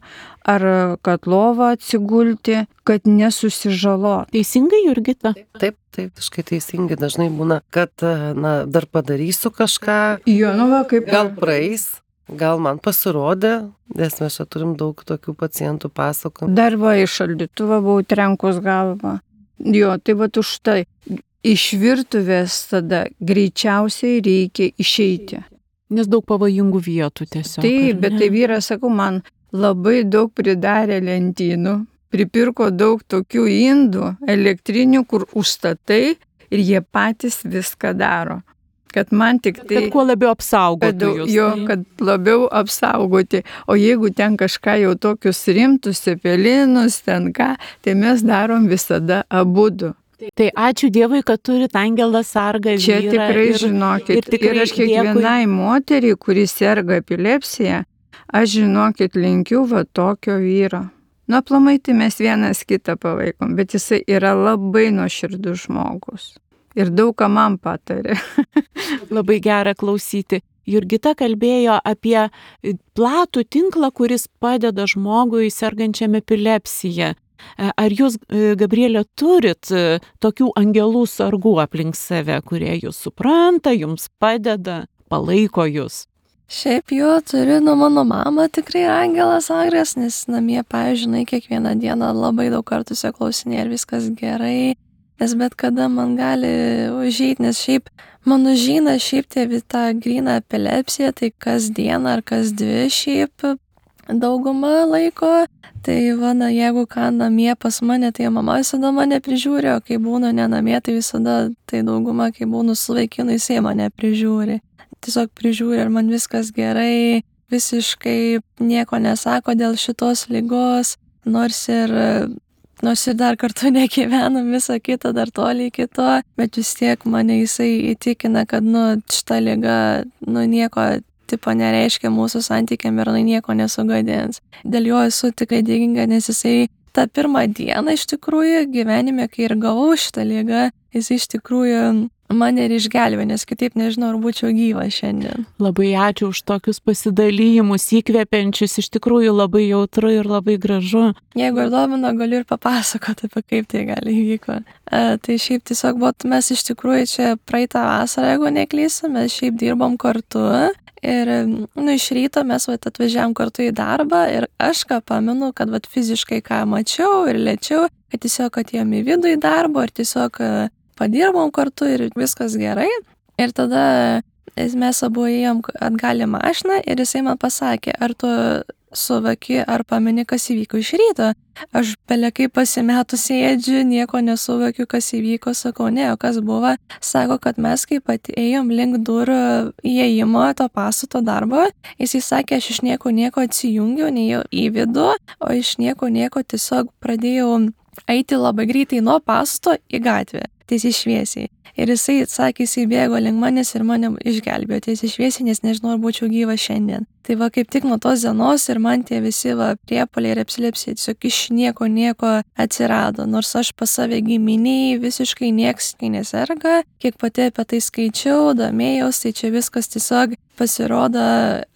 ar kad lovą atsigulti, kad nesusižalot. Teisingai, Jurgita? Taip, taip, visiškai teisingai. Dažnai būna, kad, na, dar padarysiu kažką, Jo, nu va, kaip gal praeis, gal man pasirodė, nes mes čia turim daug tokių pacientų pasakojimų. dar va iš šaldytuvą buvau trenkus galvą. Jo, tai va už tai. Iš virtuvės tada greičiausiai reikia išeiti. Nes daug pavojingų vietų tiesiog. Taip, ar bet ne? tai vyras, sakau, man labai daug pridarė lentynų, pripirko daug tokių indų elektrinių, kur užstatai ir jie patys viską daro. Kad man tik tai... Kad kuo labiau Kad, apsaugotų jūs. jo, tai- kad labiau apsaugoti. O jeigu ten kažką jau tokius rimtus, cepelinus, ten ką, tai mes darom visada abudu. Tai ačiū Dievui, kad turit angelą sargą vyrą. Čia tikrai ir, žinokit. ir tikrai ir aš kiekvienai moteriai, kuri serga epilepsija, aš žinokit linkiu va tokio vyro. Nu, aplamai tai mes vienas kitą palaikom, bet jisai yra labai nuoširdus žmogus. Ir daug ką man patarė. Labai gera klausyti. Jurgita kalbėjo apie platų tinklą, kuris padeda žmogui sergančiam epilepsiją. Ar jūs, Gabrielė, turit tokių angelų sargų aplink save, kurie jūs supranta, jums padeda, palaiko jūs? Šiaip jo turiu, nu mano mama tikrai angelas sargas, nes namie, pavyzdžiui, kiekvieną dieną labai daug kartų klausinė ir viskas gerai, nes bet kada man gali užeiti, nes šiaip mano žina šiaip tėvi tą gryną epilepsiją, tai kas dieną ar kas dvi šiaip daugumą laiko. Tai va, na, jeigu ką namie pas mane, tai mama visada mane prižiūri, o kai būnu ne namie, tai visada tai dauguma, kai būnu su vaikinu, jisai mane prižiūri. Tiesiog prižiūri, ar man viskas gerai, visiškai nieko nesako dėl šitos ligos, nors ir, nors ir dar kartu negyvenam visą kitą, dar toli iki to, bet vis tiek mane jisai įtikina, kad, nu, šita liga, nu, nieko tipo nereiškia mūsų santykiam ir nieko nesugadins. Dėl jo esu tikrai dėkinga, nes jisai tą pirmą dieną iš tikrųjų gyvenime, kai ir gavau šitą ligą, jisai iš tikrųjų mane ir išgelbė, nes kitaip nežinau, ar būčiau gyva šiandien. Labai ačiū už tokius pasidalymus, įkvepiančius, iš tikrųjų labai jautru ir labai gražu. Jeigu ir domino, galiu ir papasakoti, apie kaip tai gali įvyko. E, tai šiaip tiesiog, bet mes iš tikrųjų čia praeitą vasarą, jeigu neklysiu, mes šiaip dirbom kartu. Ir, nu, iš ryto mes vat, atvažiavom kartu į darbą ir aš ką pamenu, kad vat, fiziškai ką mačiau ir lėčiau, kad tiesiog atėjom į vidų į darbą ir tiesiog padirbom kartu ir viskas gerai. Ir tada mes abu ėjom atgal į mašiną ir jisai man pasakė, ar tu suvaki, ar pameni, kas įvyko iš ryto. Aš belekai pasimetus sėdžiu, nieko nesuvokiu, kas įvyko, sakau, ne, o kas buvo. Sako, kad mes kaip atėjom link durų įėjimo to pastato darbo, jisai sakė, aš iš nieko nieko atsijungiau, neėjau į vidų, o iš nieko nieko tiesiog pradėjau eiti labai greitai nuo pastato į gatvę, tiesiai šviesiai. Ir jisai sakė, jisai bėgo link manęs ir mane išgelbėjo tiesiai šviesiai, nes nežinau, ar būčiau gyva šiandien. Tai va, kaip tik nuo tos dienos ir man tie visi va, priepuoliai ir epilepsija tiesiog iš nieko nieko atsirado. Nors aš pas save giminiai visiškai nieks neserga, kiek pati apie tai skaičiau, domėjaus, tai čia viskas tiesiog pasirodo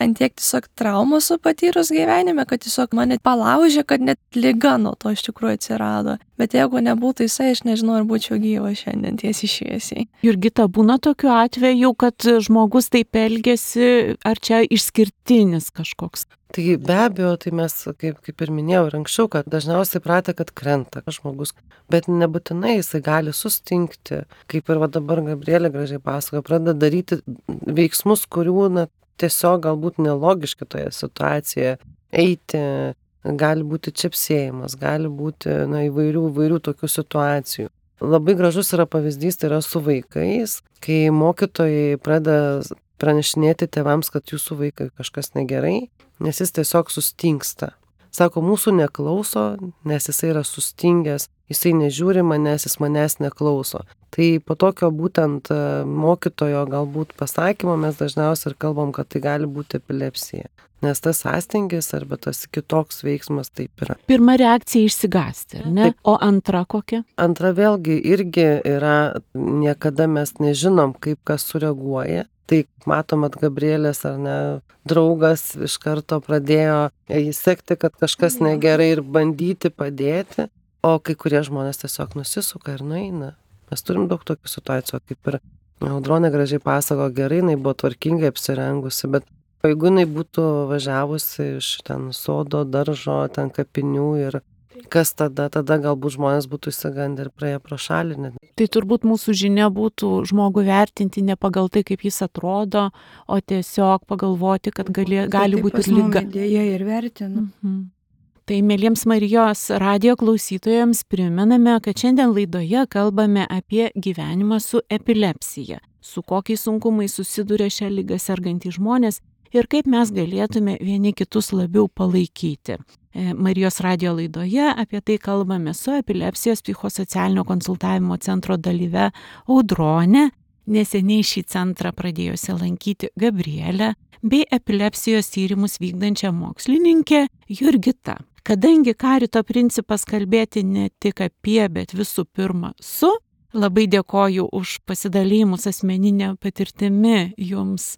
ant tiek tiesiog traumų su patyrus gyvenime, kad tiesiog mane palaužė, kad net liga nuo to iš tikrųjų atsirado. Bet jeigu nebūtų jisai, aš nežinau, ar būčiau gyva šiandien tiesiai šviesiai. Jurgita, būna tokiu atveju, kad žmogus taip elgesi, ar čia išskirtinis kažkoks? Tai be abejo, tai mes, kaip, kaip ir minėjau ir anksčiau, kad dažniausiai pratę, kad krenta žmogus, bet nebūtinai jisai gali sustingti, kaip ir va dabar Gabrielė gražiai pasakojo, pradeda daryti veiksmus, kurių na, tiesiog galbūt nelogiški toje situacijoje, eiti, gali būti čepsėjimas, gali būti na, įvairių, įvairių tokių situacijų. Labai gražus yra pavyzdys, tai yra su vaikais, kai mokytojai pradeda pranešinėti tėvams, kad jūsų vaikai kažkas negerai, nes jis tiesiog sustingsta. Sako, mūsų neklauso, nes jisai yra sustingęs, jisai nežiūri manęs, jis manęs neklauso. Tai po tokio būtent mokytojo galbūt pasakymo mes dažniausiai ir kalbam, kad tai gali būti epilepsija. Nes tas sąstingis arba tas kitoks veiksmas taip yra. Pirma reakcija išsigąsti, ne? Taip. O antra kokia? Antra vėlgi irgi yra, niekada mes nežinom, kaip kas sureaguoja. Tai matom, at Gabrielės ar ne, draugas iš karto pradėjo įsekti, kad kažkas negerai ir bandyti padėti, o kai kurie žmonės tiesiog nusisuka ir nueina. Mes turim daug tokių situacijų, kaip ir Audronė gražiai pasako, gerai, jinai buvo tvarkingai apsirengusi, bet jeigu jinai būtų važiavusi iš ten sodo, daržo, ten kapinių ir kas tada, tada galbūt žmonės būtų įsigandę ir praėję pro šalį. Net. Tai turbūt mūsų žinia būtų žmogų vertinti ne pagal tai, kaip jis atrodo, o tiesiog pagalvoti, kad gali, gali būti ir liga. Dėja ir vertinu. Mhm. Tai mėlyms Marijos radijo klausytojams primename, kad šiandien laidoje kalbame apie gyvenimą su epilepsija. su kokiais sunkumais susiduria šią ligą sergantys žmonės ir kaip mes galėtume vieni kitus labiau palaikyti. Marijos radijo laidoje apie tai kalbame su epilepsijos psichosocialinio konsultavimo centro dalyve Audronė, neseniai šį centrą pradėjusi lankyti Gabrielė, bei epilepsijos tyrimus vykdančią mokslininkę Jurgita. Kadangi karito principas kalbėti ne tik apie, bet visų pirma su, labai dėkoju už pasidalymus asmeninę patirtimi jums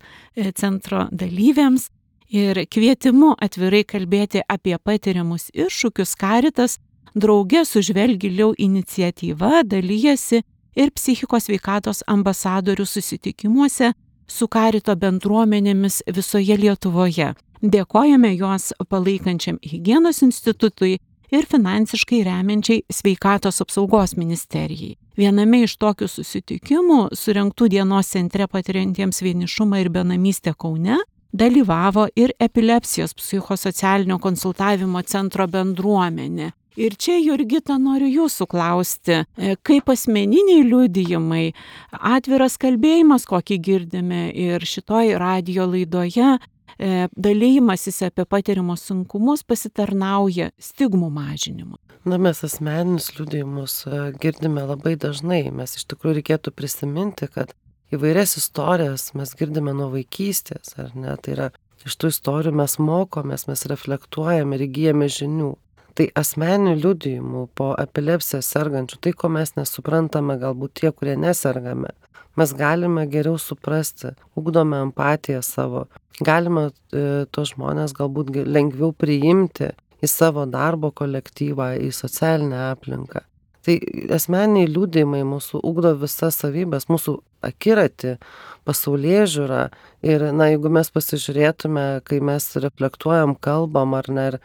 centro dalyviams ir kvietimu atvirai kalbėti apie patiriamus iššūkius karitas drauge su Žvelk giliau iniciatyva dalyjasi ir psichikos sveikatos ambasadorių susitikimuose su karito bendruomenėmis visoje Lietuvoje. Dėkojame juos palaikančiam Higienos institutui ir finansiškai remiančiai Sveikatos apsaugos ministerijai. Viename iš tokių susitikimų, surengtų dienos centre patiriantiems vienišumą ir benamystę Kaune, dalyvavo ir epilepsijos psichosocialinio konsultavimo centro bendruomenė. Ir čia, Jurgita, noriu jūsų klausti, kaip asmeniniai liudijimai, atviras kalbėjimas, kokį girdime ir šitoj radijo laidoje, dalymasis apie patiriamus sunkumus pasitarnauja stigmų mažinimui. Na, mes asmeninius liudijimus girdime labai dažnai. Mes iš tikrųjų reikėtų prisiminti, kad įvairias istorijas mes girdime nuo vaikystės, ar ne? Tai yra, iš tų istorijų mes mokomės, mes reflektuojame ir įgyjame žinių. Tai asmeninių liudijimų po epilepsiją sergančių, tai ko mes nesuprantame, galbūt tie, kurie nesergame, mes galime geriau suprasti, ugdome empatiją savo, galime e, tos žmonės galbūt lengviau priimti į savo darbo kolektyvą, į socialinę aplinką. Tai asmeniniai liudijimai mūsų ugdo visas savybės, mūsų akiratį, pasaulėžiūrą ir, na, jeigu mes pasižiūrėtume, kai mes reflektuojam, kalbam ar ne, ir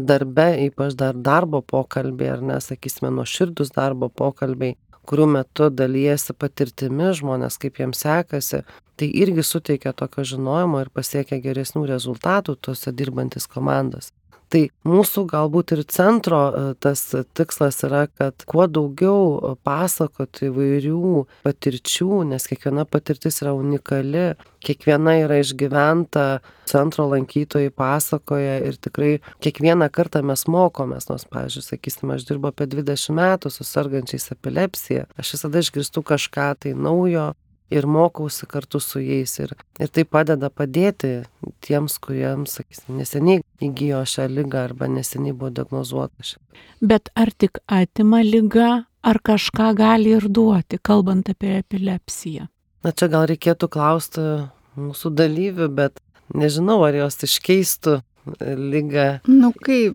darbe, ypač dar darbo pokalbiai, ar ne, sakysime, nuoširdūs darbo pokalbiai, kurių metu dalyjasi patirtimi žmonės, kaip jiems sekasi, tai irgi suteikia tokio žinojimo ir pasiekia geresnių rezultatų tuose dirbantis komandos. Tai mūsų galbūt ir centro tas tikslas yra, kad kuo daugiau pasakoti įvairių patirčių, nes kiekviena patirtis yra unikali, kiekviena yra išgyventa, centro lankytojai pasakoja ir tikrai kiekvieną kartą mes mokomės, nors, pavyzdžiui, sakysime, aš dirbu apie dvidešimt metų su sergančiais epilepsija, aš visada išgirstu kažką tai naujo ir mokausi kartu su jais ir, ir tai padeda padėti tiems, kuriems, sakysim, neseniai įgijo šią ligą arba neseniai buvo diagnozuota šią. Bet ar tik atima liga, ar kažką gali ir duoti, kalbant apie epilepsiją? Na, čia gal reikėtų klausti mūsų dalyvių, bet nežinau, ar jos iškeistų ligą. Nu kaip,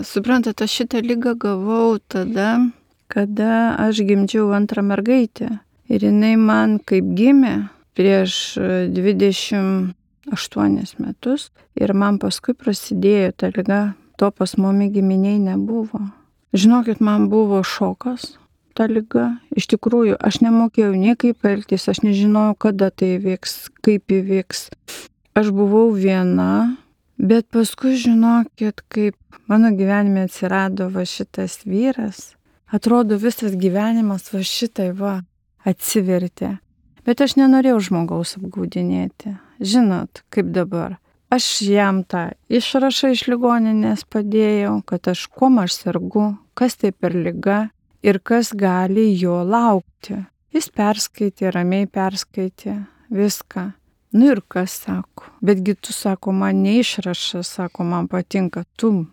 suprantat, aš šitą ligą gavau tada, kada aš gimdžiau antrą mergaitę. Ir jinai man kaip gimė prieš dvidešimt aštuonis metus ir man paskui prasidėjo ta liga, to pas mumi giminiai nebuvo. Žinokit, man buvo šokas ta liga. Iš tikrųjų, aš nemokėjau nei kaip elgtis, aš nežinojau, kada tai įvyks, kaip įvyks. Aš buvau viena, bet paskui žinokit, kaip mano gyvenime atsirado va šitas vyras, atrodo visas gyvenimas va šitai va atsivertė. Bet aš nenorėjau žmogaus apgaudinėti. Žinot, kaip dabar. Aš jam tą išrašą iš ligoninės padėjau, kad aš kuom aš sergu, kas tai per liga ir kas gali jo laukti. Jis perskaitė, ramiai perskaitė viską. Nu ir kas sako. Betgi tu, sako, man neišrašą, sako, man patinka tu.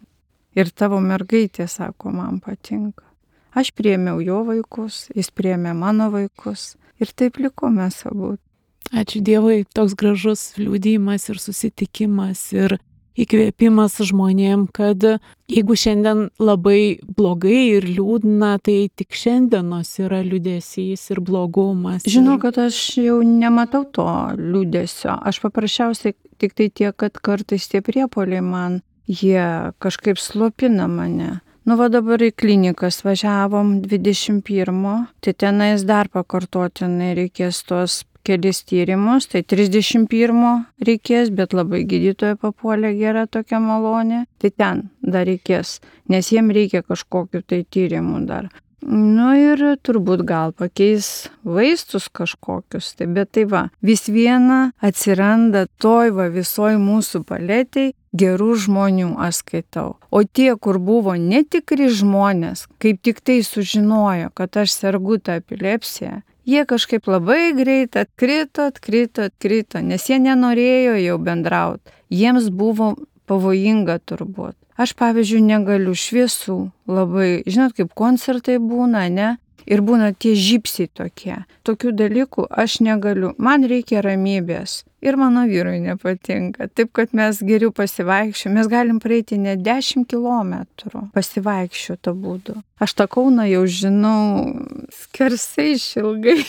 Ir tavo mergaitė, sako, man patinka. Aš priėmiau jo vaikus, jis priėmė mano vaikus ir taip liko mes abu. Ačiū Dievui, toks gražus liudijimas ir susitikimas ir įkvėpimas žmonėm, kad jeigu šiandien labai blogai ir liūdna, tai tik šiandienos yra liūdesys ir blogumas. Žinau, kad aš jau nematau to liūdesio. Aš paprasčiausiai tik tai tiek, kad kartais tie priepuoliai man, jie kažkaip slopina mane. Nu, va dabar į klinikas važiavom dvidešimt pirmo, tai tenais dar pakartotinai reikės tos kelis tyrimus, tai trisdešimt pirmo reikės, bet labai gydytoja papuolė gera tokia malonė, tai ten dar reikės, nes jiem reikia kažkokių tai tyrimų dar. Nu ir turbūt gal pakeis vaistus kažkokius, tai bet tai va, vis viena atsiranda toj va visoj mūsų paletėj gerų žmonių, aš skaitau. O tie, kur buvo netikri žmonės, kaip tik tai sužinojo, kad aš sergu tą epilepsiją, jie kažkaip labai greit atkrito, atkrito, atkrito, nes jie nenorėjo jau bendrauti. Jiems buvo pavojinga turbūt. Aš, pavyzdžiui, negaliu šviesų labai, žinot, kaip koncertai būna, ne? Ir būna tie žypsiai tokie. Tokių dalykų aš negaliu. Man reikia ramybės. Ir mano vyrui nepatinka. Taip, kad mes geriau pasivaikščiu. Mes galim praeiti net dešimt kilometrų pasivaikščiu tą būdu. Aš tą Kauną jau žinau skersai išilgai.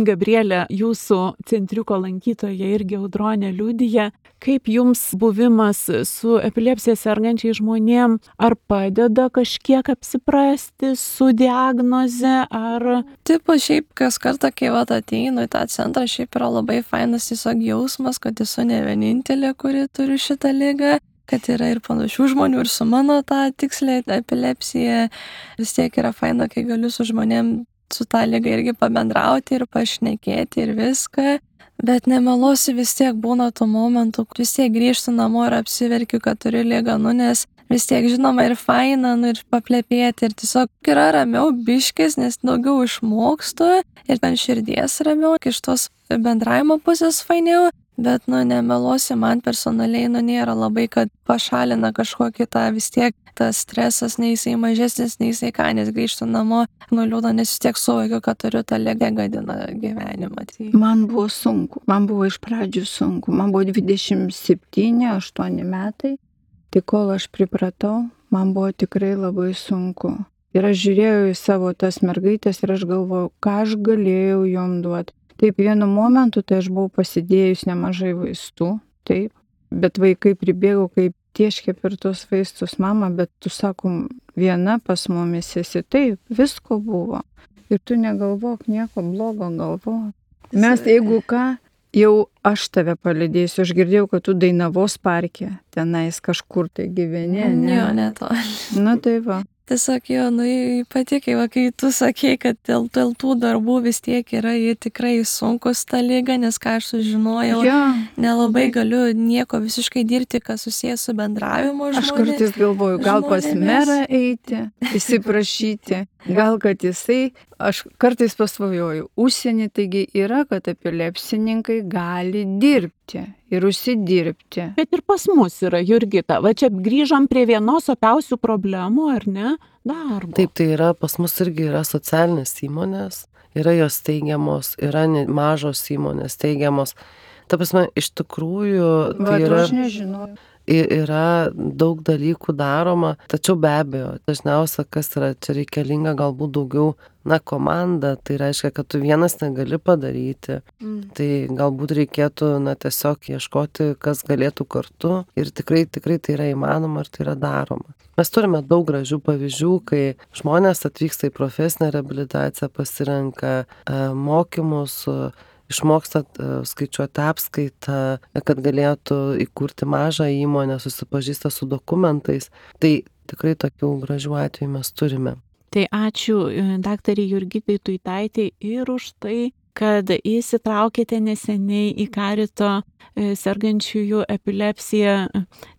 Gabrielė, jūsų centriuko lankytoja irgi Audronė liudija, kaip jums buvimas su epilepsija sergančiai žmonėm, ar padeda kažkiek apsiprasti su diagnoze, ar... Tipo, šiaip kas kartą, kai vat ateinu į tą centrą, šiaip yra labai fainas tiesiog jausmas, kad esu ne vienintelė, kuri turi šitą ligą, kad yra ir panašių žmonių ir su mano tą tikslę epilepsiją. Vis tiek yra faina, kai galiu su žmonėm su tą ligą irgi pabendrauti ir pašnekėti ir viską. Bet nemeluosiu, vis tiek būna tų momentų, vis tiek grįžtu namo ir apsiverkiu, kad turiu ligą, nu, nes vis tiek žinoma ir faina, nu, ir paplepėti, ir tiesiog yra ramiau biškis, nes daugiau išmokstu ir ant širdies ramiau, iš tos bendravimo pusės fainiau. Bet, nu, nemeluosiu, man personaliai, nu, nėra labai, kad pašalina kažkokį tą vis tiek, tas stresas, nei jisai mažesnis, nei jisai ką, nes grįžtu namo, nu, liūdna, nes vis tiek suvokiu, kad turiu tą ligą, gadina gyvenimą. Tai... Man buvo sunku, man buvo iš pradžių sunku, man buvo dvidešimt septyni aštuoni metai, tai kol aš pripratau, man buvo tikrai labai sunku. Ir aš žiūrėjau į savo tas mergaitės ir aš galvojau, ką aš galėjau jom duoti. Taip, vienu momentu tai aš buvau pasidėjus nemažai vaistų, taip, bet vaikai pribėgo kaip tieškė per tos vaistus, mama, bet tu sakom, viena pas mumis esi, taip, visko buvo. Ir tu negalvok nieko blogo galvok. Mes, jeigu ką, jau aš tave palydėsiu, aš girdėjau, kad tu Dainavos parke, tenais kažkur tai gyveni, ne? Jo, netoli. Nu tai va. Tiesiog jo, nu, ypatingai, va, kai tu sakei, kad dėl, dėl tų darbų vis tiek yra jie tikrai sunkus ta lyga, nes ką aš sužinojau, Ja. nelabai galiu nieko visiškai dirbti, kas susijęs su bendravimu žmonės. Aš kartais galvoju, gal pas žmonėmis. merą eiti, įsiprašyti, gal kad jisai, aš kartais pasvajoju, užsienį taigi yra, kad epilepsininkai gali dirbti ir užsidirbti. Bet ir pas mus yra, Jurgita. Va čia grįžom prie vienos opiausių problemų, ar ne? Darbo. Taip, tai yra, pas mus irgi yra socialinės įmonės, yra jos teigiamos, yra ne- mažos įmonės teigiamos. Ta prasme, iš tikrųjų, Va, tai tu yra, aš nežinau. i- yra daug dalykų daroma, tačiau be abejo, dažniausia, kas yra čia reikalinga, galbūt daugiau, na, komanda, tai reiškia, kad tu vienas negali padaryti, Mm. tai galbūt reikėtų, na, tiesiog ieškoti, kas galėtų kartu ir tikrai, tikrai tai yra įmanoma ir tai yra daroma. Mes turime daug gražių pavyzdžių, kai žmonės atvyksta į profesinę reabilitaciją, pasirenka e, mokymus, e, išmoksta e, skaičiuoti apskaitą, kad galėtų įkurti mažą įmonę, susipažįsta su dokumentais. Tai tikrai tokių gražių atvejų mes turime. Tai ačiū e, daktarei Jurgitai Tuitaitei ir už tai, kad įsitraukėte neseniai į Karito e, sergančiųjų epilepsiją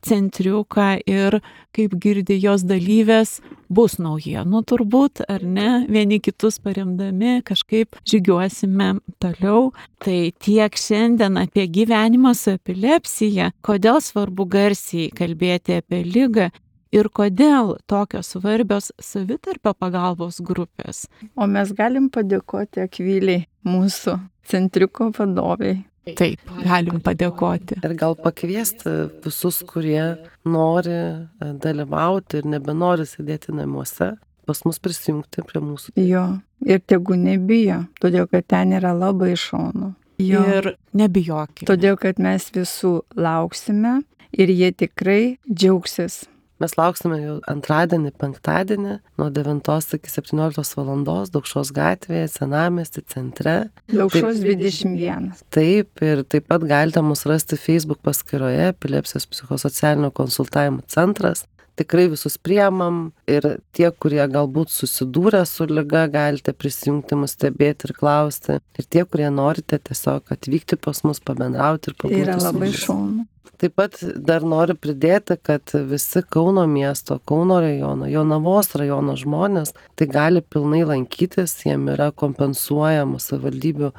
centriuką ir, kaip girdi jos dalyvės, bus naujienų turbūt, ar ne, vieni kitus paremdami kažkaip žygiuosime toliau. Tai tiek šiandien apie gyvenimą su epilepsija, kodėl svarbu garsiai kalbėti apie ligą ir kodėl tokios svarbios savitarpio pagalbos grupės. O mes galim padėkoti Akviliai, mūsų centriuko vadoviai. Taip, galim padėkoti. Ir gal pakviesti visus, kurie nori e, dalyvauti ir nebenori sėdėti namuose, pas mus prisijungti prie mūsų. Jo, ir tegu nebijo, todėl kad ten yra labai šaunu. Jo. Ir nebijokite. Todėl kad mes visų lauksime ir jie tikrai džiaugsis. Mes lauksime jau antradienį, penktadienį, nuo devintos iki septynioliktos valandos, Daukšos gatvėje, Senamiesty centre. Daukšos dvidešimt vienas. Taip, ir taip pat galite mus rasti Facebook paskyroje Epilepsijos psichosocialinio konsultavimo centras. tikrai visus priemam ir tie, kurie galbūt susidūrė su liga, galite prisijungti mus stebėti ir klausti. Ir tie, kurie norite tiesiog atvykti pas mus, pabendrauti ir pabūti. Tai yra labai šaunu. Taip pat dar noriu pridėti, kad visi Kauno miesto, Kauno rajono, Jonavos rajono žmonės tai gali pilnai lankytis, jiem yra kompensuojamos savivaldybių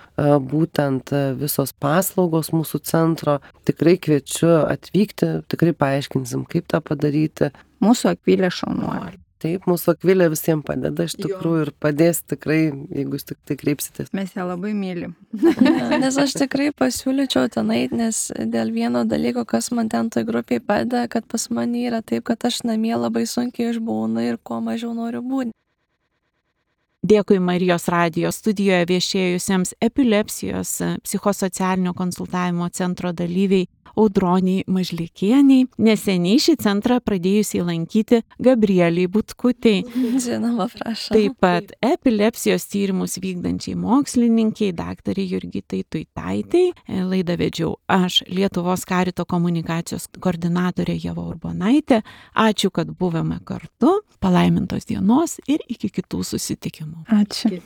būtent visos paslaugos mūsų centro. Tikrai kviečiu atvykti, tikrai paaiškinsim, kaip tą padaryti. Mūsų Akvilė šaunuolė. Taip, mūsų Akvilė visiems padeda iš tikrųjų ir padės tikrai, jeigu jūs tik tai kreipsitės. Mes ją labai mylim. Ja, nes aš tikrai pasiūlyčiau tenai, nes dėl vieno dalyko, kas man ten toj grupiai padeda, kad pas mane yra taip, kad aš namie labai sunkiai išbūnu ir kuo mažiau noriu būti. Dėkui Marijos radijo studijoje viešėjusiems epilepsijos psichosocialinio konsultavimo centro dalyviai Audroniai Mažlikieniai, neseniai šį centrą pradėjusiai lankyti Gabrieliai Butkutei. Žinoma, prašau. Taip pat epilepsijos tyrimus vykdančiai mokslininkiai daktarei Jurgitai Tuitaitei. Laidą vedžiau aš, Lietuvos Karito komunikacijos koordinatorė Ieva Urbonaitė. Ačiū, kad buvome kartu. Palaimintos dienos ir iki kitų susitikimų. Ačiū.